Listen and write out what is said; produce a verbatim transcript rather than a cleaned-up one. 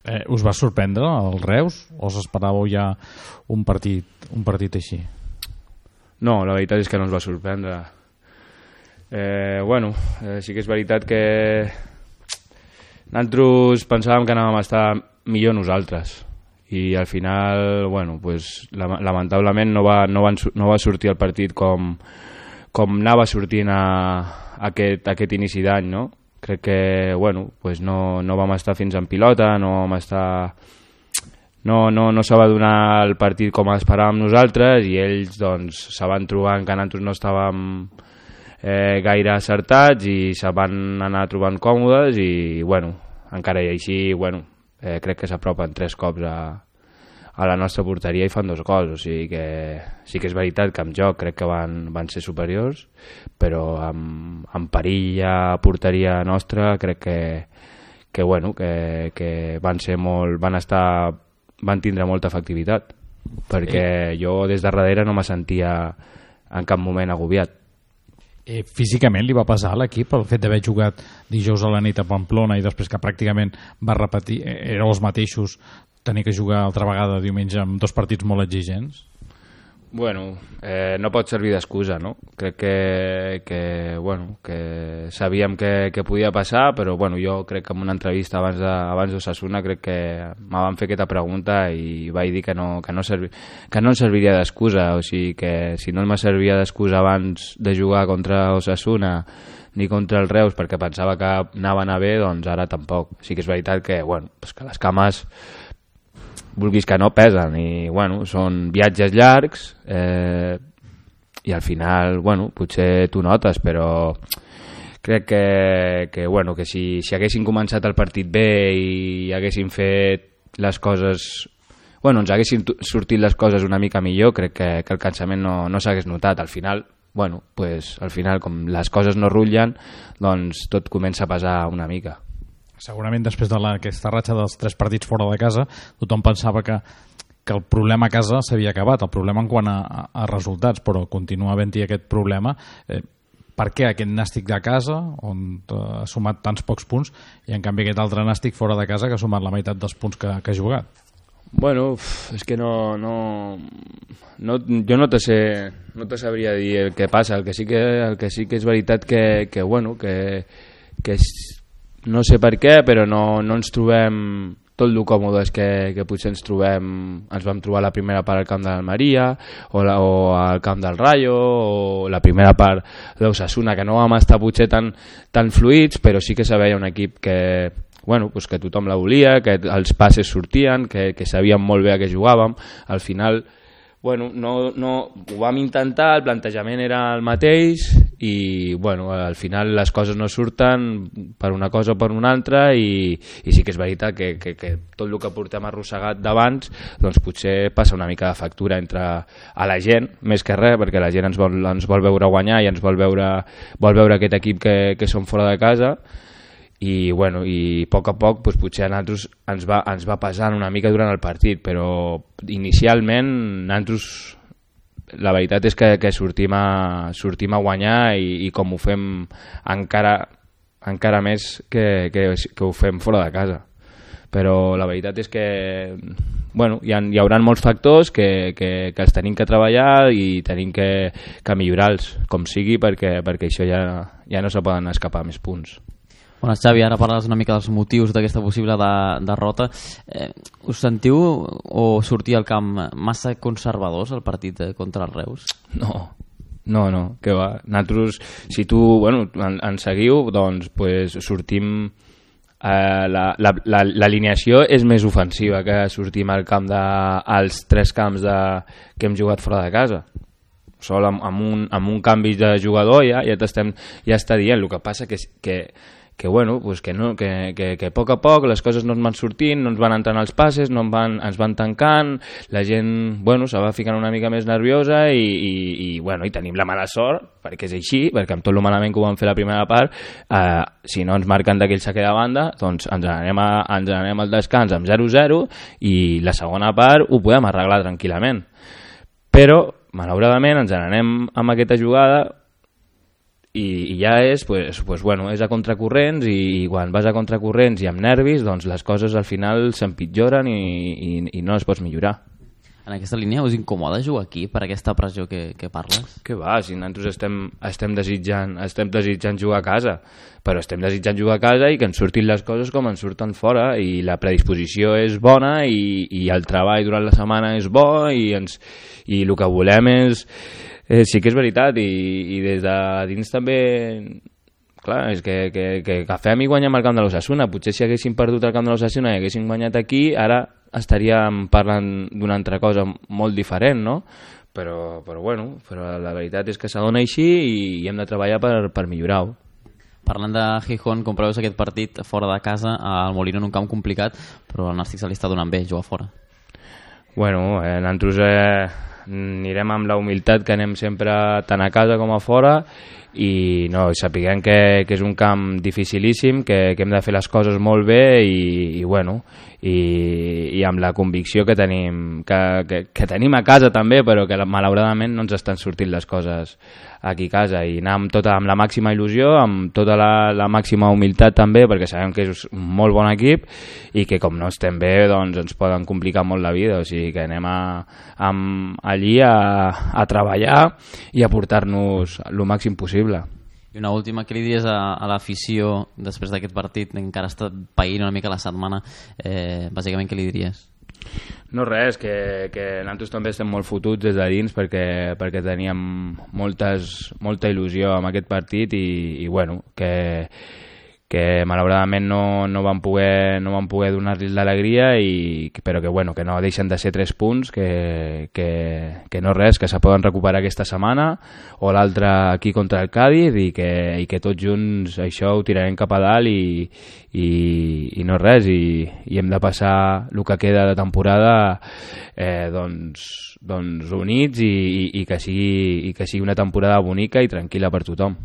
Eh, us va sorprendre el Reus o us esperàveu ja un partit, un partit així? No, la veritat és que no ens va sorprendre. Eh, bueno, eh, sí que és veritat que nosaltres pensàvem que anàvem a estar millor nosaltres i al final, bueno, pues, lamentablement no va, no, van, no va sortir el partit com, com anava sortint a, a aquest, a aquest inici d'any, no? Crec que, bueno, pues no, no vam estar fins en pilota, no vam estar... No, no, no se va donar el partit com esperàvem nosaltres i ells doncs se van trobant que nosaltres no estàvem eh, gaire acertats i se van anar trobant còmodes i bueno, encara i així bueno, eh, crec que s'apropen tres cops a, a la nostra porteria i fan dos gols, o sigui que sí que és veritat que en joc crec que van, van ser superiors, però amb, amb perill a porteria nostra crec que, que, bueno, que, que van ser molt, van estar van tindre molta efectivitat perquè sí. Jo des de darrere no me sentia en cap moment agobiat. Eh, físicament li va passar a l'equip el fet d'haver jugat dijous a la nit a Pamplona i després que pràcticament va repetir, éreu els mateixos, tenir que jugar altra vegada diumenge amb dos partits molt exigents? Bueno, eh, no pot servir d'excusa, no? Crec que, que, bueno, que sabíem que, que podia passar, però bueno, jo crec que en una entrevista abans de, abans d'Osasuna crec que me van fer aquesta pregunta i vaig dir que no, que no, servi, que no em serviria d'excusa, o sigui que si no me servia d'excusa abans de jugar contra Osasuna ni contra el Reus perquè pensava que anava a anar bé, doncs ara tampoc. Sí que és veritat que, bueno, pues que les cames vulguis que no pesen i bueno, són viatges llargs eh, i al final bueno, potser tu notes, però crec que, que, bueno, que si, si haguessin començat el partit bé i haguessin fet les coses, bueno, ens haguessin sortit les coses una mica millor, crec que, que el cansament no, no s'hagués notat. Al final, bueno, pues, al final com les coses no rutllen, doncs tot comença a pesar una mica. Segurament després de la, aquesta ratxa dels tres partits fora de casa tothom pensava que, que el problema a casa s'havia acabat, el problema en quant a, a, a resultats, però continua havent-hi aquest problema. Eh, per què aquest nàstic de casa on eh, ha sumat tants pocs punts i en canvi aquest altre nàstic fora de casa que ha sumat la meitat dels punts que, que ha jugat? Bueno, és que no, no, no jo no te sé, no te sabria dir el que passa. El que sí que, el que, sí que és veritat que, que bueno, que, que és no sé per què, però no, no ens trobem tot el còmodes que, que potser ens trobem, ens vam trobar la primera part al camp de l'Almeria o, la, o al camp del Rayo o la primera part d'Osasuna, que no vam estar potser tan, tan fluïts, però sí que se veia un equip que, bueno, pues que tothom la volia, que els passes sortien, que, que sabíem molt bé a què jugàvem. Al final bueno, no, no, ho vam intentar, el plantejament era el mateix i bueno, al final les coses no surten per una cosa o per una altra i, i sí que és veritat que, que, que tot el que portem arrossegat d'abans doncs potser passa una mica de factura entre a la gent, més que res, perquè la gent ens vol, ens vol veure guanyar i ens vol veure, vol veure aquest equip que, que som fora de casa i, bueno, i a poc a poc doncs, potser a nosaltres ens va, ens va pesant una mica durant el partit, però inicialment nosaltres la veritat és que, que sortim, a, sortim a guanyar i, i com ho fem encara, encara més que, que, que ho fem fora de casa. Però la veritat és que bueno, hi, ha, hi haurà molts factors que, que, que els tenim que treballar i tenim que, que millorar-los com sigui perquè, perquè això ja, ja no se poden escapar més punts. Bueno, Xavi, ara parles una mica dels motius d'aquesta possible de, derrota. Eh, us sentiu o sortir al camp massa conservadors al partit contra els Reus? No, no, no, que va. Nosaltres, si tu bueno, en, en seguiu, doncs pues, sortim... Eh, l'alineació la, la, és més ofensiva que sortim al camp de, als tres camps de, que hem jugat fora de casa. Sol amb, amb, un, amb un canvi de jugador ja, ja, ja està dient. El que passa que, que que bueno, pues que no, que, que, que a poc a poc les coses no ens van sortint, no ens van entrant els passes, no ens van, ens van tancant, la gent bueno, se va ficant una mica més nerviosa i, i, i, bueno, i tenim la mala sort, perquè és així, perquè amb tot el malament que ho vam fer la primera part, eh, si no ens marquen d'aquell saque de banda, doncs ens anem, a, ens anem al descans amb zero zero i la segona part ho podem arreglar tranquil·lament. Però, malauradament, ens anem amb aquesta jugada i, i ja és, pues, pues, bueno, és a contracorrents i, i quan vas a contracorrents i amb nervis, doncs les coses al final s'empitjoren i, i, i no es pots millorar. En aquesta línia us incomoda jugar aquí per aquesta pressió que, que parles? Que va, si nosaltres estem, estem, desitjant, estem desitjant jugar a casa, però estem desitjant jugar a casa i que ens surtin les coses com ens surten fora, i la predisposició és bona i, i el treball durant la setmana és bo i, ens, i el que volem és... Eh, sí que és veritat, i, i des de dins també... Clar, és que, que, que agafem i guanyem el camp de l'Osasuna. Potser si haguéssim perdut el camp de l'Osasuna i haguéssim guanyat aquí, ara estaríem parlant d'una altra cosa molt diferent, no? Però, però bueno, però la veritat és que s'adona així i, i hem de treballar per, per millorar-ho. Parlant de Gijón, com preveus aquest partit fora de casa, al Molino en un camp complicat, però el Nàstic se li està donant bé jugar fora. Bueno, eh, nosaltres eh, anirem amb la humilitat que anem sempre tant a casa com a fora, i no, sapiguem que, que és un camp dificilíssim, que, que hem de fer les coses molt bé i, i bueno, i, i amb la convicció que tenim que, que, que tenim a casa també, però que malauradament no ens estan sortint les coses aquí a casa, i anar amb, tota, amb la màxima il·lusió, amb tota la, la màxima humilitat també, perquè sabem que és un molt bon equip i que com no estem bé doncs ens poden complicar molt la vida, o sigui que anem a, a, allí a, a treballar i a portar-nos el màxim possible. I una última, què li diries a, a l'afició després d'aquest partit, encara està païnt una mica la setmana, eh, bàsicament què li diries? No res, que, que nosaltres també estem molt fotuts des de dins perquè, perquè teníem moltes, molta il·lusió amb aquest partit i, i bueno, que, que malauradament no, no vam poder, no vam poder donar-li l'alegria, i, però que, bueno, que no deixen de ser tres punts, que, que, que no res, que se poden recuperar aquesta setmana o l'altra aquí contra el Cádiz, i que, i que tots junts això ho tirarem cap a dalt i, i, i no res, i, i hem de passar el que queda de temporada eh, doncs, doncs units i, i, i, que sigui, i que sigui una temporada bonica i tranquil·la per tothom.